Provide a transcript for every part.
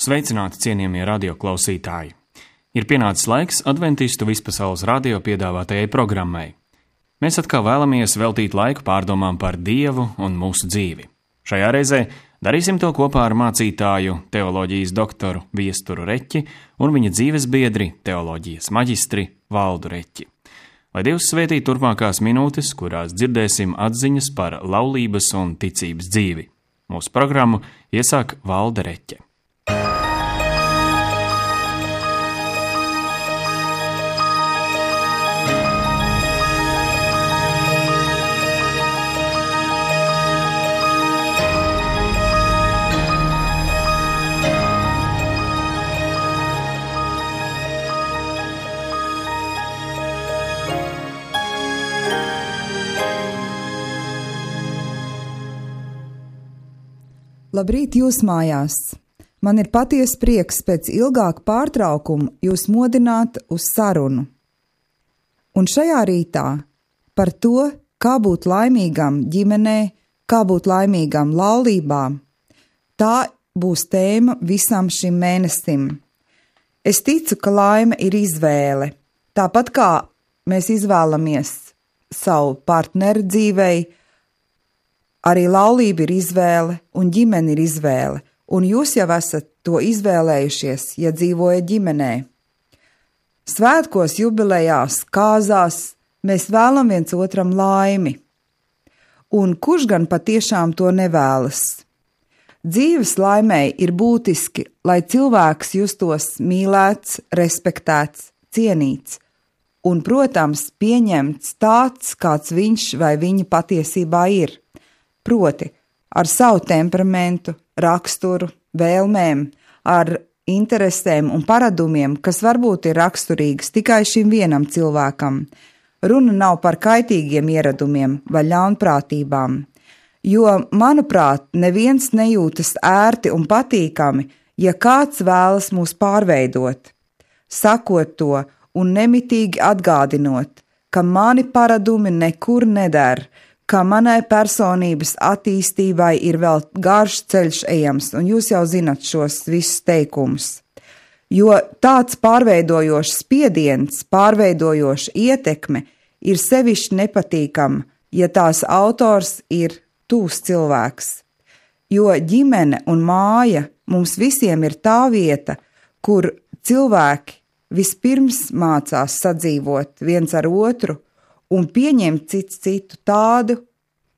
Sveicināti, cienījamie radioklausītāji! Ir pienācis laiks Adventistu vispasaules radio piedāvātajai programmai. Mēs atkal vēlamies veltīt laiku pārdomām par Dievu un mūsu dzīvi. Šajā reizē darīsim to kopā ar mācītāju, teoloģijas doktoru Viesturu Reķi un viņa dzīves biedri, teoloģijas maģistri Valdu Reķi. Lai Dievs svētī turpmākās minūtes, kurās dzirdēsim atziņas par laulības un ticības dzīvi. Mūsu programmu iesāk Valda Reķe. Labrīt jūs mājās! Man ir patiesa prieks pēc ilgāka pārtraukuma jūs modināt uz sarunu. Un šajā rītā par to, kā būt laimīgam ģimenē, kā būt laimīgam laulībā, tā būs tēma visam šim mēnesim. Es ticu, ka laime ir izvēle. Tāpat kā mēs izvēlamies savu partneri dzīvei, arī laulība ir izvēle un ģimene ir izvēle, un jūs jau esat to izvēlējušies, ja dzīvojat ģimenē. Svētkos, jubilejās, kāzās mēs vēlam viens otram laimi. Un kurš gan patiešām to nevēlas? Dzīves laimei ir būtiski, lai cilvēks justos mīlēts, respektēts, cienīts un, protams, pieņemts tāds, kāds viņš vai viņa patiesībā ir. Proti, ar savu temperamentu, raksturu, vēlmēm, ar interesēm un paradumiem, kas varbūt ir raksturīgas tikai šim vienam cilvēkam. Runa nav par kaitīgiem ieradumiem vai ļaunprātībām, jo, manuprāt, neviens nejūtas ērti un patīkami, ja kāds vēlas mūs pārveidot. Sakot to un nemitīgi atgādinot, ka mani paradumi nekur neder, ka manai personības attīstībai ir vēl garš ceļš ejams, un jūs jau zinat šos visus teikumus. Jo tāds pārveidojošs spiediens, pārveidojoša ietekme ir sevišķi nepatīkama, ja tās autors ir tūs cilvēks. Jo ģimene un māja mums visiem ir tā vieta, kur cilvēki vispirms mācās sadzīvot viens ar otru, un pieņemt cits citu tādu,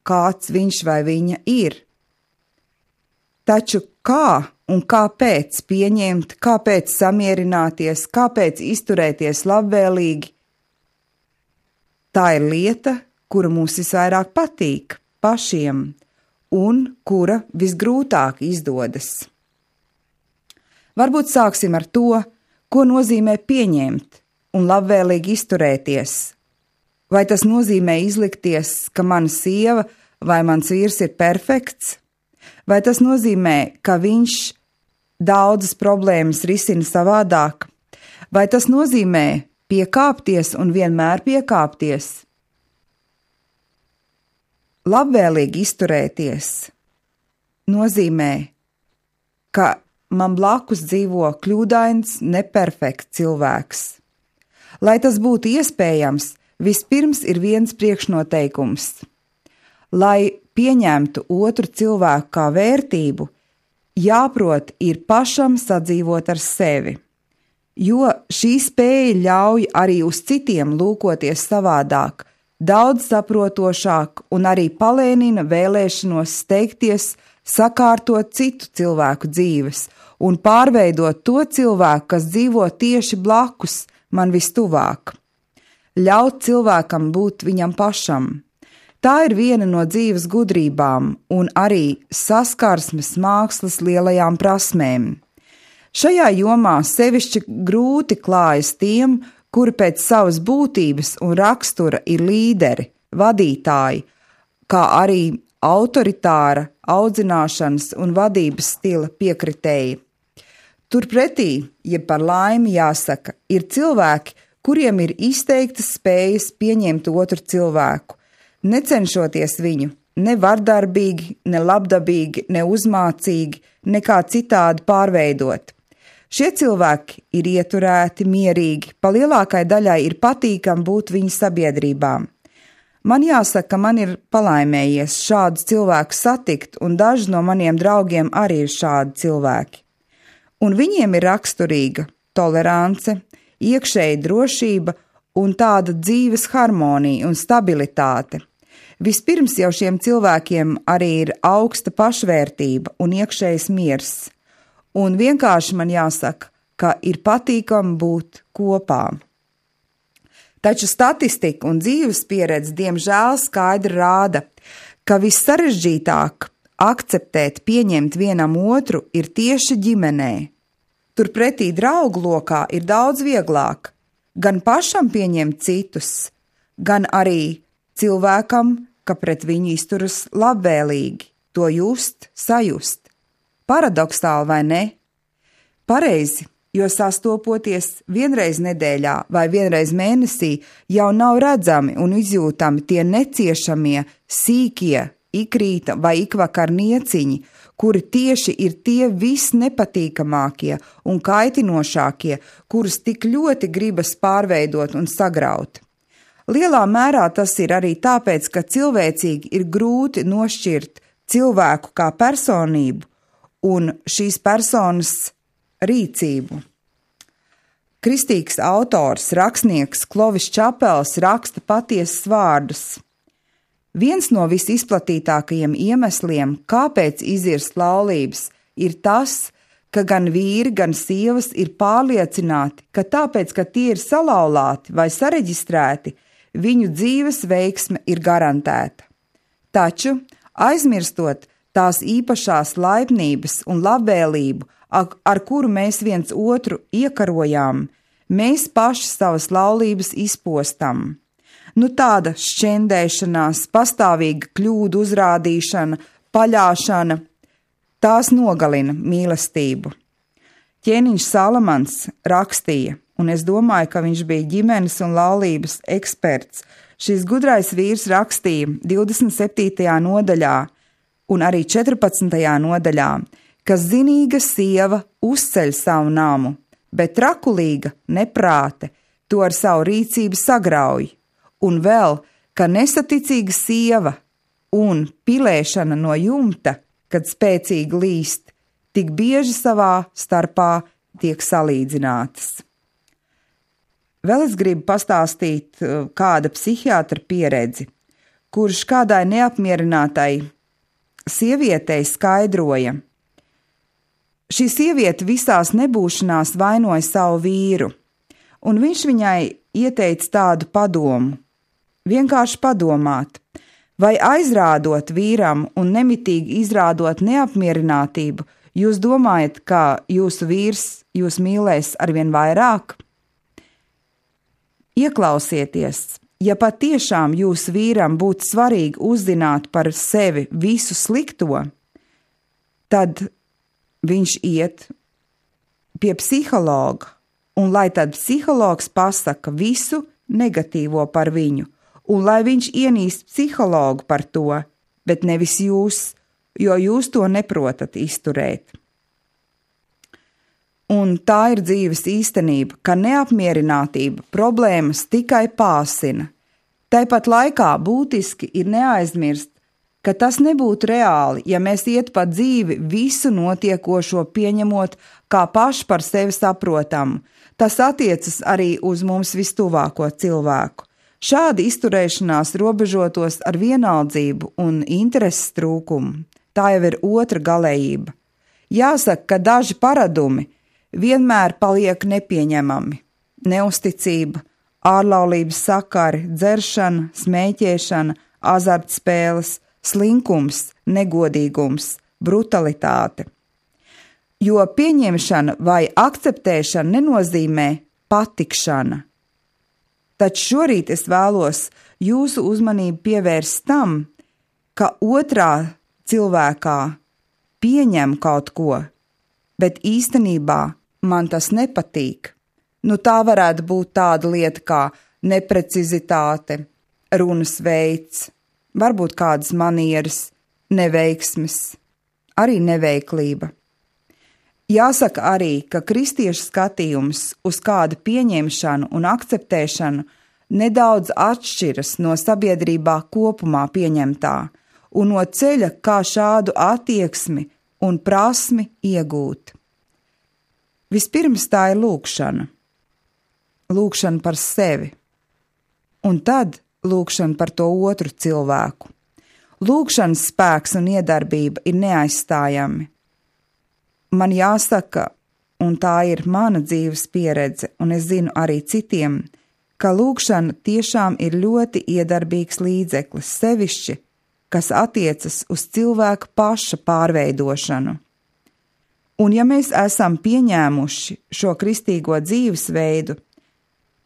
kāds viņš vai viņa ir. Taču kā un kāpēc pieņemt, kāpēc samierināties, kāpēc izturēties labvēlīgi? Tā ir lieta, kura mums visvairāk patīk pašiem un kura visgrūtāk izdodas. Varbūt sāksim ar to, ko nozīmē pieņemt un labvēlīgi izturēties. Vai tas nozīmē izlikties, ka mana sieva vai mans vīrs ir perfekts? Vai tas nozīmē, ka viņš daudzas problēmas risina savādāk? Vai tas nozīmē piekāpties un vienmēr piekāpties? Labvēlīgi izturēties nozīmē, ka man blakus dzīvo kļūdains, neperfekts cilvēks. Lai tas būtu iespējams, vispirms ir viens priekšnoteikums. Lai pieņemtu otru cilvēku kā vērtību, jāprot ir pašam sadzīvot ar sevi, jo šī spēja ļauj arī uz citiem lūkoties savādāk, daudz saprotošāk un arī palēnina vēlēšanos steigties, sakārtot citu cilvēku dzīves un pārveidot to cilvēku, kas dzīvo tieši blakus man vistuvāk. Ļaut cilvēkam būt viņam pašam. Tā ir viena no dzīves gudrībām un arī saskarsmes mākslas lielajām prasmēm. Šajā jomā sevišķi grūti klājas tiem, kuri pēc savas būtības un rakstura ir līderi, vadītāji, kā arī autoritāra, audzināšanas un vadības stila piekritēji. Turpretī, ja par laimi jāsaka, ir cilvēki, kuriem ir izteiktas spējas pieņemt otru cilvēku, necenšoties viņu ne vardarbīgi, ne labdabīgi, ne uzmācīgi, nekā citādi pārveidot. Šie cilvēki ir ieturēti, mierīgi, pa lielākai daļai ir patīkami būt viņu sabiedrībām. Man jāsaka, ka man ir palaimējies šādus cilvēkus satikt, un daži no maniem draugiem arī ir šādi cilvēki. Un viņiem ir raksturīga tolerance, iekšēja drošība un tāda dzīves harmonija un stabilitāte. Vispirms jau šiem cilvēkiem arī ir augsta pašvērtība un iekšējs miers. Un vienkārši man jāsaka, ka ir patīkami būt kopā. Taču statistika un dzīves pieredze diemžēl skaidri rāda, ka vissarežģītāk akceptēt, pieņemt vienam otru ir tieši ģimenē. Turpretī draugu lokā ir daudz vieglāk gan pašam pieņemt citus, gan arī cilvēkam, ka pret viņu izturas labvēlīgi, to just, sajust. Paradoksāli vai ne? Pareizi, jo sastopoties vienreiz nedēļā vai vienreiz mēnesī jau nav redzami un izjūtami tie neciešamie, sīkie, ikrīta vai ikvakar nieciņi, kuri tieši ir tie visnepatīkamākie un kaitinošākie, kurus tik ļoti gribas pārveidot un sagraut. Lielā mērā tas ir arī tāpēc, ka cilvēcīgi ir grūti nošķirt cilvēku kā personību un šīs personas rīcību. Kristīgs autors, rakstnieks Klovis Čapels raksta patiesas vārdus. Viens no visizplatītākajiem iemesliem, kāpēc izirst laulības, ir tas, ka gan vīri, gan sievas ir pārliecināti, ka tāpēc, ka tie ir salauzti vai sareģistrēti, viņu dzīves veiksme ir garantēta. Taču, aizmirstot tās īpašās laipnības un labvēlību, ar kuru mēs viens otru iekarojām, mēs paši savas laulības izpostam. Tāda šķendēšanās, pastāvīga kļūdu uzrādīšana, paļāšana, tās nogalina mīlestību. Ķēniņš Salamans rakstīja, un es domāju, ka viņš bija ģimenes un laulības eksperts. Šis gudrais vīrs rakstīja 27. nodaļā un arī 14. nodaļā, ka zinīga sieva uzceļ savu namu, bet trakulīga neprāte to ar savu rīcību sagrauj, un vēl, ka nesaticīga sieva un pilēšana no jumta, kad spēcīgi līst, tik bieži savā starpā tiek salīdzinātas. Vēl es gribu pastāstīt kāda psihiatra pieredzi, kurš kādai neapmierinātai sievietei skaidroja. Šī sieviete visās nebūšanās vainoja savu vīru, un viņš viņai ieteica tādu padomu. Vienkārši padomāt, vai aizrādot vīram un nemitīgi izrādot neapmierinātību, jūs domājat, ka jūsu vīrs jūs mīlēs arvien vairāk? Ieklausieties, ja patiešām jūsu vīram būtu svarīgi uzzināt par sevi visu slikto, tad viņš iet pie psihologa, un lai tad psihologs pasaka visu negatīvo par viņu, un lai viņš ienīst psihologu par to, bet nevis jūs, jo jūs to neprotat izturēt. Un tā ir dzīves īstenība, ka neapmierinātība problēmas tikai pāsina. Tāpat laikā būtiski ir neaizmirst, ka tas nebūtu reāli, ja mēs iet pa dzīvi visu notiekošo pieņemot kā paši par sevi saprotamu. Tas attiecas arī uz mums vistuvāko cilvēku. Šāda izturēšanās robežotos ar vienaldzību un intereses trūkumu. Tā jau ir otra galējība. Jāsaka, ka daži paradumi vienmēr paliek nepieņemami. Neusticība, ārlaulības sakari, dzeršana, smēķēšana, azartspēles, slinkums, negodīgums, brutalitāte. Jo pieņemšana vai akceptēšana nenozīmē patikšana. Taču šorīt es vēlos jūsu uzmanību pievērst tam, ka otrā cilvēkā pieņem kaut ko, bet īstenībā man tas nepatīk. Tā varētu būt tāda lieta kā neprecizitāte, runas veids, varbūt kādas manieres, neveiksmes, arī neveiklība. Jāsaka arī, ka kristiešu skatījums uz kādu pieņemšanu un akceptēšanu nedaudz atšķiras no sabiedrībā kopumā pieņemtā un no ceļa, kā šādu attieksmi un prasmi iegūt. Vispirms tā ir lūgšana. Lūgšana par sevi, un tad lūgšana par to otru cilvēku. Lūgšanas spēks un iedarbība ir neaizstājami. Man jāsaka, un tā ir mana dzīves pieredze, un es zinu arī citiem, ka lūgšana tiešām ir ļoti iedarbīgs līdzeklis, sevišķi, kas attiecas uz cilvēka paša pārveidošanu. Un ja mēs esam pieņēmuši šo kristīgo dzīvesveidu,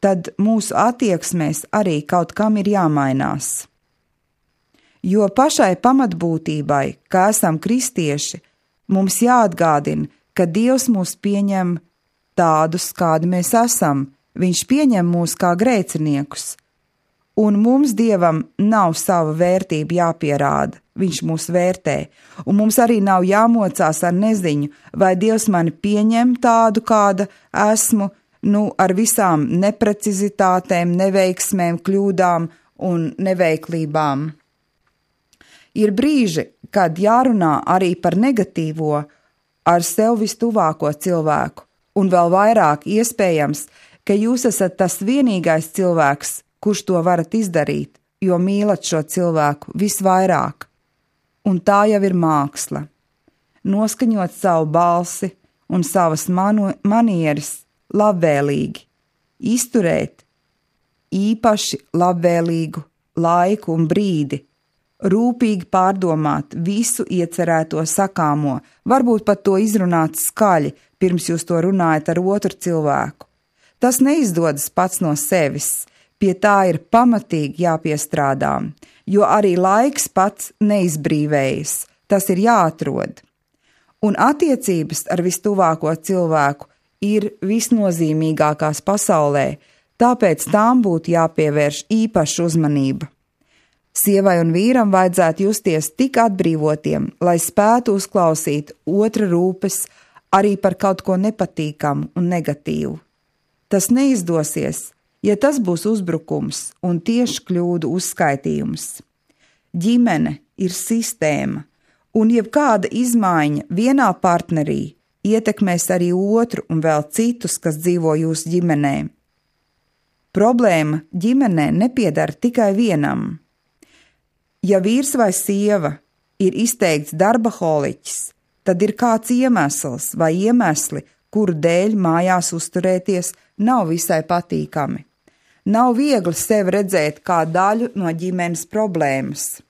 tad mūsu attieksmēs arī kaut kam ir jāmainās. Jo pašai pamatbūtībai, ka esam kristieši, mums jāatgādina, ka Dievs mūs pieņem tādus, kādi mēs esam. Viņš pieņem mūs kā grēciniekus. Un mums Dievam nav sava vērtība jāpierāda. Viņš mūs vērtē. Un mums arī nav jāmocās ar neziņu, vai Dievs mani pieņem tādu, kāda esmu, ar visām neprecizitātēm, neveiksmēm, kļūdām un neveiklībām. Ir brīži, kad jārunā arī par negatīvo ar sev vistuvāko cilvēku, un vēl vairāk iespējams, ka jūs esat tas vienīgais cilvēks, kurš to varat izdarīt, jo mīlat šo cilvēku visvairāk. Un tā jau ir māksla. Noskaņot savu balsi un savas manieres labvēlīgi, izturēt īpaši labvēlīgu laiku un brīdi, rūpīgi pārdomāt visu iecerēto sakāmo, varbūt pat to izrunāt skaļi, pirms jūs to runājat ar otru cilvēku. Tas neizdodas pats no sevis, pie tā ir pamatīgi jāpiestrādā, jo arī laiks pats neizbrīvējas, tas ir jāatrod. Un attiecības ar vistuvāko cilvēku ir visnozīmīgākās pasaulē, tāpēc tām būtu jāpievērš īpaša uzmanība. Sievai un vīram vajadzētu justies tik atbrīvotiem, lai spētu uzklausīt otra rūpes arī par kaut ko nepatīkamu un negatīvu. Tas neizdosies, ja tas būs uzbrukums un tieši kļūdu uzskaitījums. Ģimene ir sistēma, un jebkāda izmaiņa vienā partnerī ietekmēs arī otru un vēl citus, kas dzīvo jūsu ģimenē. Problēma ģimenē nepiedara tikai vienam. Ja vīrs vai sieva ir izteikts darbaholiķis, tad ir kāds iemesls vai iemesli, kuru dēļ mājās uzturēties nav visai patīkami. Nav viegli sevi redzēt kā daļu no ģimenes problēmas.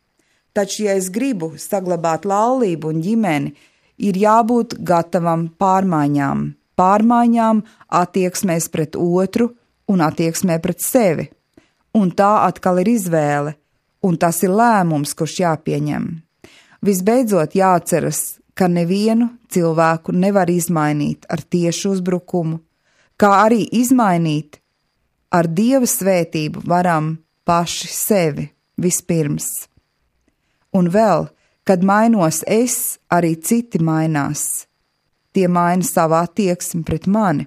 Taču, ja es gribu saglabāt laulību un ģimeni, ir jābūt gatavam pārmaiņām attieksmēs pret otru un attieksmē pret sevi. Un tā atkal ir izvēle. Un tas ir lēmums, kurš jāpieņem. Visbeidzot jāatceras, ka nevienu cilvēku nevar izmainīt ar tiešu uzbrukumu, kā arī izmainīt ar Dieva svētību varam paši sevi vispirms. Un vēl, kad mainos es, arī citi mainās. Tie maina savu attieksmi pret mani.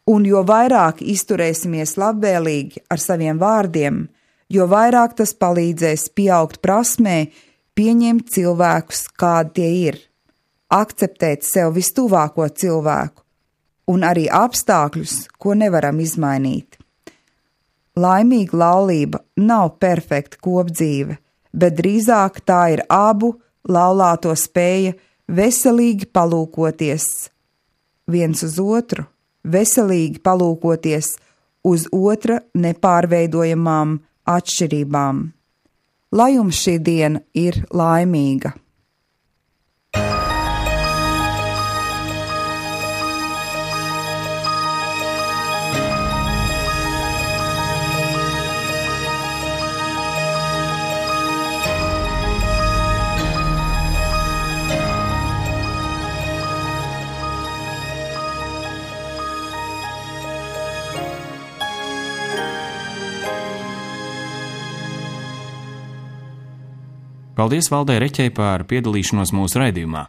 Un jo vairāk izturēsimies labvēlīgi ar saviem vārdiem, jo vairāk tas palīdzēs pieaugt prasmē, pieņemt cilvēkus, kādi tie ir, akceptēt sev vistuvāko cilvēku un arī apstākļus, ko nevaram izmainīt. Laimīga laulība nav perfekta kopdzīve, bet drīzāk tā ir abu laulāto spēja veselīgi palūkoties viens uz otru, veselīgi palūkoties uz otra nepārveidojamām atšķirībām. Lai jums šī diena ir laimīga! Paldies Valdei Reķei par piedalīšanos mūsu raidījumā.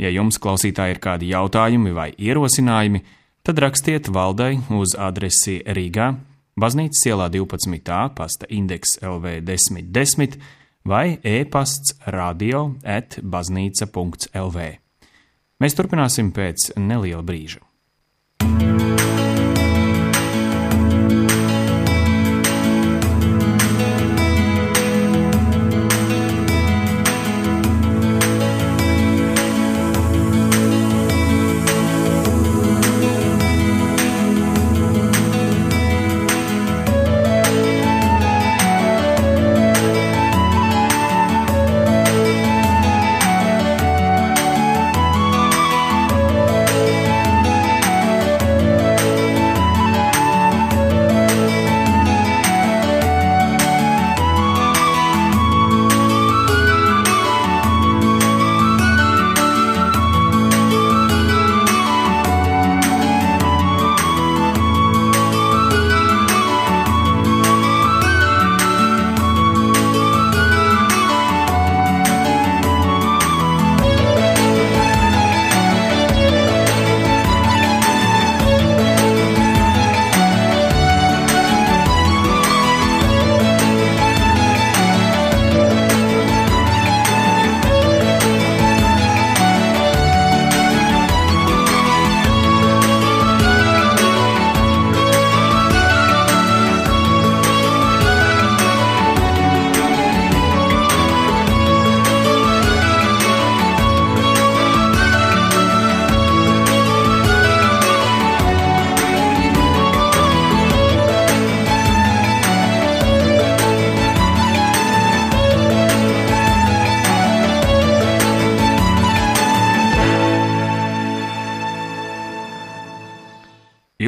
Ja jums, klausītāji, ir kādi jautājumi vai ierosinājumi, tad rakstiet valdei uz adresi Rīgā, Baznīcas ielā 12. pasta indeks LV 1010 vai e-pasts radio@baznīca.lv. Mēs turpināsim pēc neliela brīža.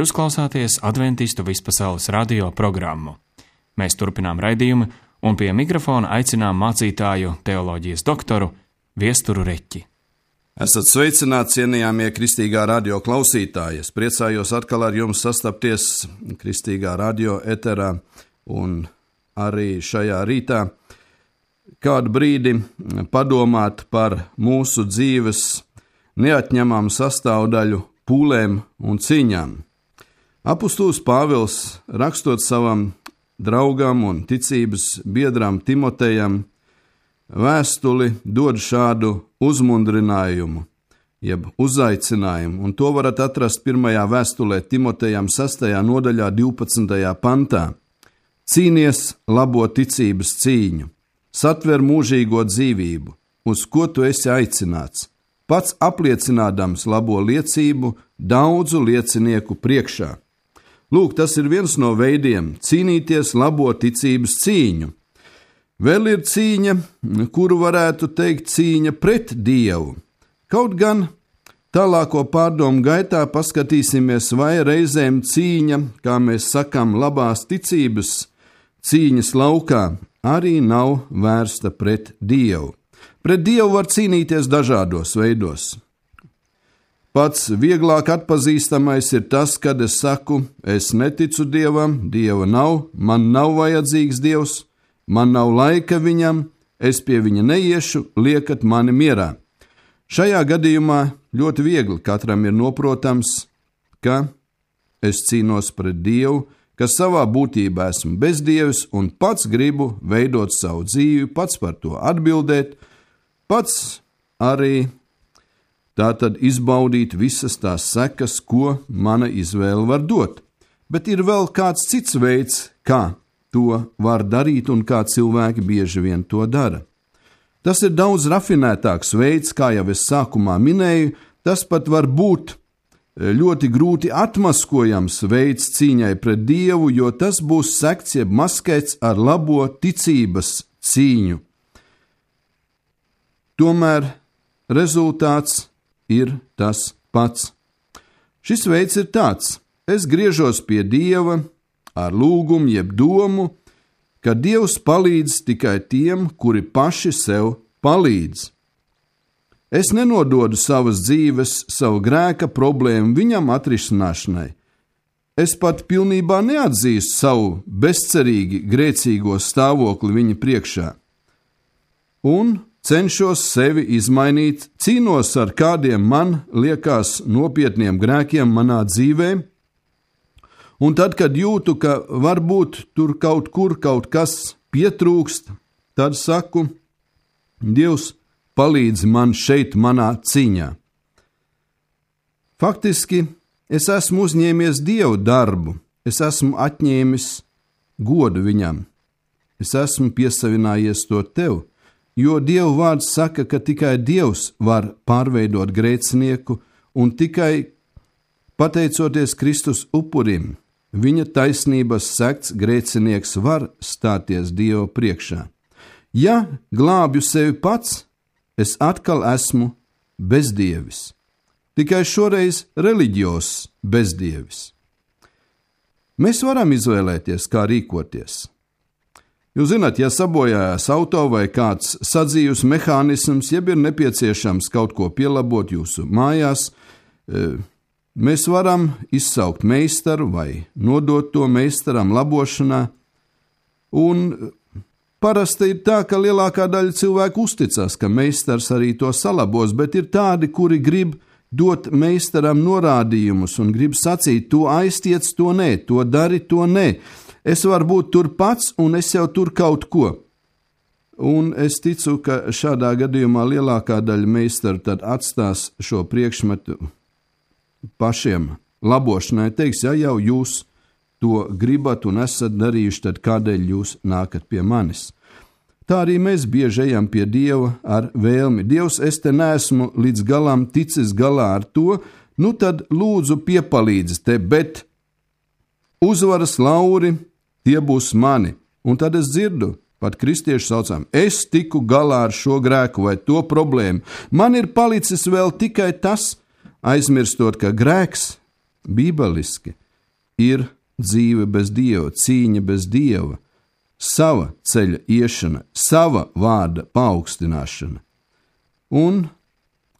Jūs klausāties Adventistu vispasaules radio programmu. Mēs turpinām raidījumu un pie mikrofona aicinām mācītāju teoloģijas doktoru Viesturu Reķi. Esat sveicināti, cienījamie Kristīgā radio klausītāji. Es priecājos atkal ar jums sastapties Kristīgā radio eterā un arī šajā rītā kādu brīdi padomāt par mūsu dzīves neatņemamu sastāvdaļu pūlēm un cīņām. Apustulis Pāvils, rakstot savam draugam un ticības biedram Timotejam, vēstuli dod šādu uzmundrinājumu, jeb uzaicinājumu, un to varat atrast pirmajā vēstulē Timotejam 6. nodaļā 12. pantā. Cīnies labo ticības cīņu, satver mūžīgo dzīvību, uz ko tu esi aicināts, pats apliecinādams labo liecību daudzu liecinieku priekšā. Lūk, tas ir viens no veidiem cīnīties labo ticības cīņu. Vēl ir cīņa, kuru varētu teikt cīņa pret Dievu. Kaut gan tālāko pārdomu gaitā paskatīsimies, vai reizēm cīņa, kā mēs sakam, labās ticības cīņas laukā, arī nav vērsta pret Dievu. Pret Dievu var cīnīties dažādos veidos. Pats vieglāk atpazīstamais ir tas, kad es saku, es neticu Dievam, Dieva nav, man nav vajadzīgs Dievs, man nav laika viņam, es pie viņa neiešu, liekat mani mierā. Šajā gadījumā ļoti viegli katram ir noprotams, ka es cīnos pret Dievu, ka savā būtībā esmu bezdievis un pats gribu veidot savu dzīvi, pats par to atbildēt, pats arī tātad izbaudīt visas tās sekas, ko mana izvēle var dot. Bet ir vēl kāds cits veids, kā to var darīt un kā cilvēki bieži vien to dara. Tas ir daudz rafinētāks veids, kā jau es sākumā minēju, tas pat var būt ļoti grūti atmaskojams veids cīņai pret Dievu, jo tas būs sekts jeb maskēts ar labo ticības cīņu. Tomēr rezultāts ir tas pats. Šis veids ir tāds: es griežos pie Dieva ar lūgumu jeb domu, ka Dievs palīdz tikai tiem, kuri paši sev palīdz. Es nenododu savas dzīves, savu grēka problēmu viņam atrisināšanai. Es pat pilnībā neatzīstu savu bezcerīgi grēcīgo stāvokli viņa priekšā. Un cenšos sevi izmainīt, cīnos ar kādiem man liekas nopietniem grēkiem manā dzīvē, un tad, kad jūtu, ka varbūt tur kaut kur kaut kas pietrūkst, tad saku, Dievs, palīdzi man šeit manā cīņā. Faktiski, es esmu uzņēmies Dievu darbu, es esmu atņēmis godu viņam, es esmu piesavinājies to tev, jo Dieva vārds saka, ka tikai Dievs var pārveidot grēcinieku, un tikai pateicoties Kristus upurim, viņa taisnības sekts grēcinieks var stāties Dieva priekšā. Ja glābju sevi pats, es atkal esmu bezdievis, tikai šoreiz reliģios bezdievis. Mēs varam izvēlēties, kā rīkoties. Jūs zināt, ja sabojājās auto vai kāds sadzīves mehānisms, jeb ir nepieciešams kaut ko pielabot jūsu mājās, mēs varam izsaukt meistaru vai nodot to meistaram labošanā, un parasti ir tā, ka lielākā daļa cilvēku uzticas, ka meistars arī to salabos, bet ir tādi, kuri grib dot meistaram norādījumus un grib sacīt, to aiztiec, to nē, to dari, to nē. Es varu būt tur pats, un es jau tur kaut ko. Un es ticu, ka šādā gadījumā lielākā daļa meistaru tad atstās šo priekšmetu pašiem labošanai. Teiks, ja jau jūs to gribat un esat darījuši, tad kādēļ jūs nākat pie manis? Tā arī mēs bieži ejam pie Dieva ar vēlmi. Dievs, es te neesmu līdz galam ticis galā ar to, nu tad lūdzu piepalīdzi te, bet uzvaras lauri tie būs mani. Un tad es dzirdu, pat kristieši saucam, es tiku galā ar šo grēku vai to problēmu. Man ir palicis vēl tikai tas, aizmirstot, ka grēks bībeliski ir dzīve bez Dieva, cīņa bez Dieva, sava ceļa iešana, sava vārda paaugstināšana. Un,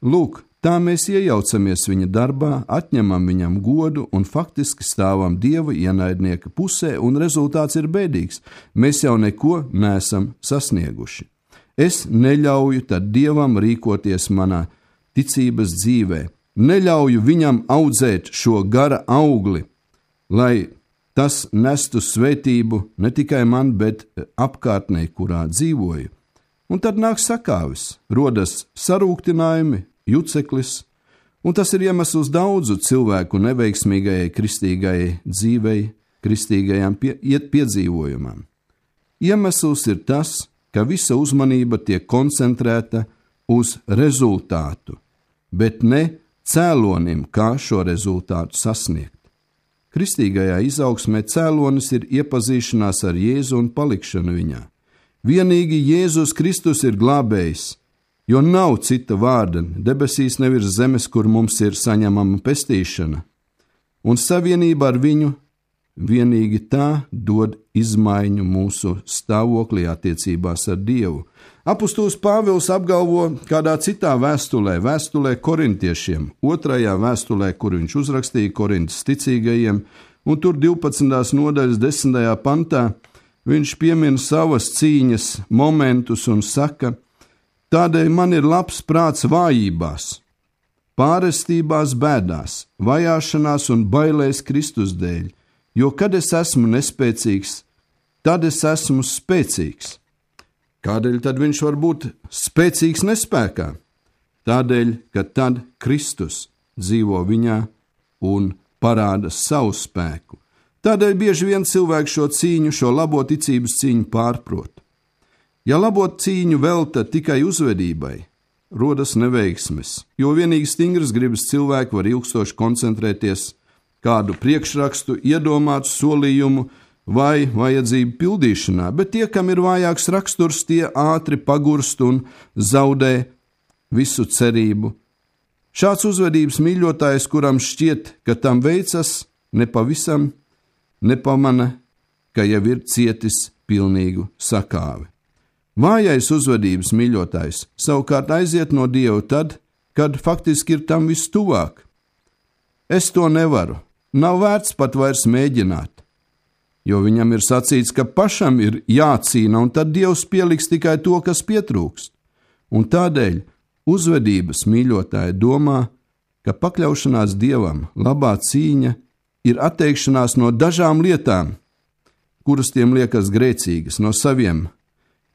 lūk, tā mēs iejaucamies viņa darbā, atņemam viņam godu un faktiski stāvam Dieva ienaidnieka pusē, un rezultāts ir bēdīgs. Mēs jau neko neesam sasnieguši. Es neļauju tad Dievam rīkoties manā ticības dzīvē, neļauju viņam audzēt šo gara augli, lai tas nestu svētību ne tikai man, bet apkārtnē, kurā dzīvoju. Un tad nāk sakāvis, rodas sarūktinājumi, juceklis, un tas ir iemesls daudzu cilvēku neveiksmīgajai kristīgajai dzīvei, kristīgajām piedzīvojumam. Iemesls ir tas, ka visa uzmanība tiek koncentrēta uz rezultātu, bet ne cēlonim, kā šo rezultātu sasniegt. Kristīgajā izaugsmē cēlonis ir iepazīšanās ar Jēzu un palikšana viņā. Vienīgi Jēzus Kristus ir glābējs, jo nav cita vārda debesīs nevirs zemes, kur mums ir saņemama pestīšana, un savienība ar viņu vienīgi tā dod izmaiņu mūsu stāvoklī attiecībās ar Dievu. Apostols Pāvils apgalvo kādā citā vēstulē korintiešiem, 2. vēstulē, kur viņš uzrakstīja Korintas ticīgajiem, un tur 12. nodaļas 10. pantā viņš piemin savas cīņas momentus un saka, tādēļ man ir labs prāts vājībās, pārestībās bēdās, vajāšanās un bailēs Kristus dēļ, jo kad es esmu nespēcīgs, tad es esmu spēcīgs. Kādēļ tad viņš var būt spēcīgs nespēkā? Tādēļ, ka tad Kristus dzīvo viņā un parāda savu spēku. Tādēļ bieži vien cilvēks šo cīņu, šo labo ticības cīņu pārprot. Ja labo cīņu velta tikai uzvedībai, rodas neveiksmes, jo vienīgi stingras gribas cilvēki var ilgstoši koncentrēties kādu priekšrakstu, iedomātu solījumu vai vajadzību pildīšanā, bet tie, kam ir vājāks raksturs, tie ātri pagurst un zaudē visu cerību. Šāds uzvedības mīļotājs, kuram šķiet, ka tam veicas, nepavisam nepamana, ka jau ir cietis pilnīgu sakāvi. Vājais uzvedības mīļotājs savukārt aiziet no Dieva tad, kad faktiski ir tam vistuvāk. Es to nevaru, nav vērts pat vairs mēģināt, jo viņam ir sacīts, ka pašam ir jācīna, un tad Dievs pieliks tikai to, kas pietrūkst. un tādēļ uzvedības mīļotāji domā, ka pakļaušanās Dievam, labā cīņa, ir atteikšanās no dažām lietām, kuras tiem liekas grēcīgas, no saviem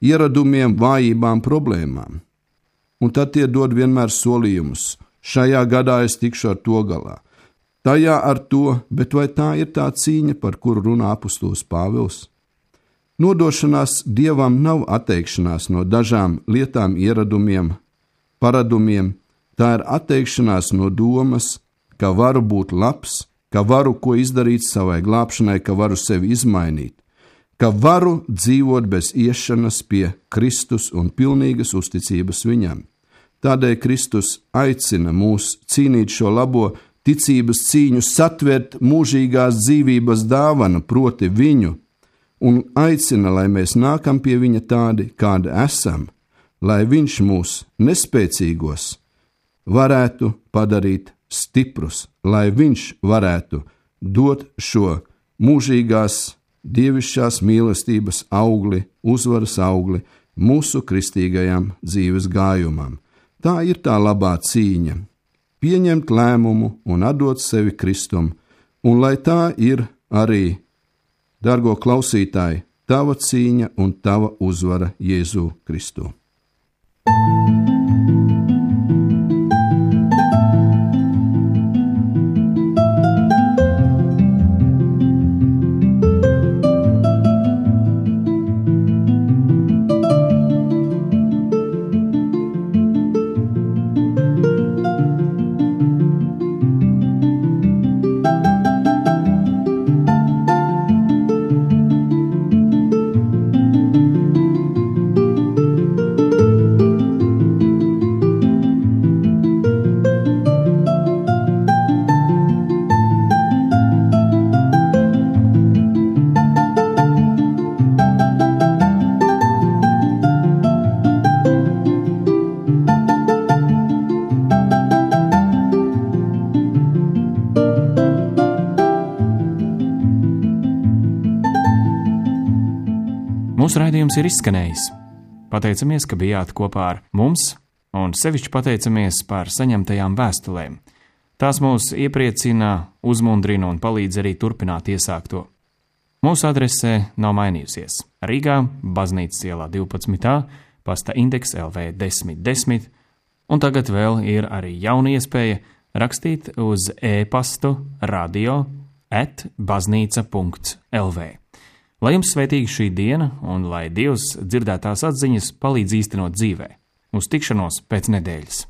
ieradumiem, vājībām, problēmām. Un tad tie dod vienmēr solījumus. Šajā gadā es tikšu ar to galā. Tajā ar to, bet vai tā ir tā cīņa, par kuru runā apustulis Pāvils? Nodošanās Dievam nav atteikšanās no dažām lietām, ieradumiem, paradumiem. Tā ir atteikšanās no domas, ka varu būt labs, ka varu ko izdarīt savai glābšanai, ka varu sevi izmainīt, ka varu dzīvot bez iešanas pie Kristus un pilnīgas uzticības viņam. Tādēļ Kristus aicina mūs cīnīt šo labo ticības cīņu, satvert mūžīgās dzīvības dāvanu, proti viņu, un aicina, lai mēs nākam pie viņa tādi, kādi esam, lai viņš mūs nespēcīgos varētu padarīt stiprus, lai viņš varētu dot šo mūžīgās dievišķās mīlestības augli, uzvaras augli mūsu kristīgajam dzīves gājumam. Tā ir tā labā cīņa – pieņemt lēmumu un atdot sevi Kristum, un lai tā ir arī, dargo klausītāji, tava cīņa un tava uzvara Jēzu Kristu. Mūsu raidījums ir izskanējis. Pateicamies, ka bijāt kopā ar mums, un sevišķi pateicamies par saņemtajām vēstulēm. Tās mūs iepriecina, uzmundrina un palīdz arī turpināt iesākto. Mūsu adrese nav mainījusies. Rīgā, Baznīcas ielā 12. pasta indeks LV 1010, un tagad vēl ir arī jauna iespēja rakstīt uz e-pastu radio@baznīca.lv. Lai jums svētīga šī diena, un lai Dievs dzirdētās atziņas palīdz īstenot dzīvē. Uz tikšanos pēc nedēļas!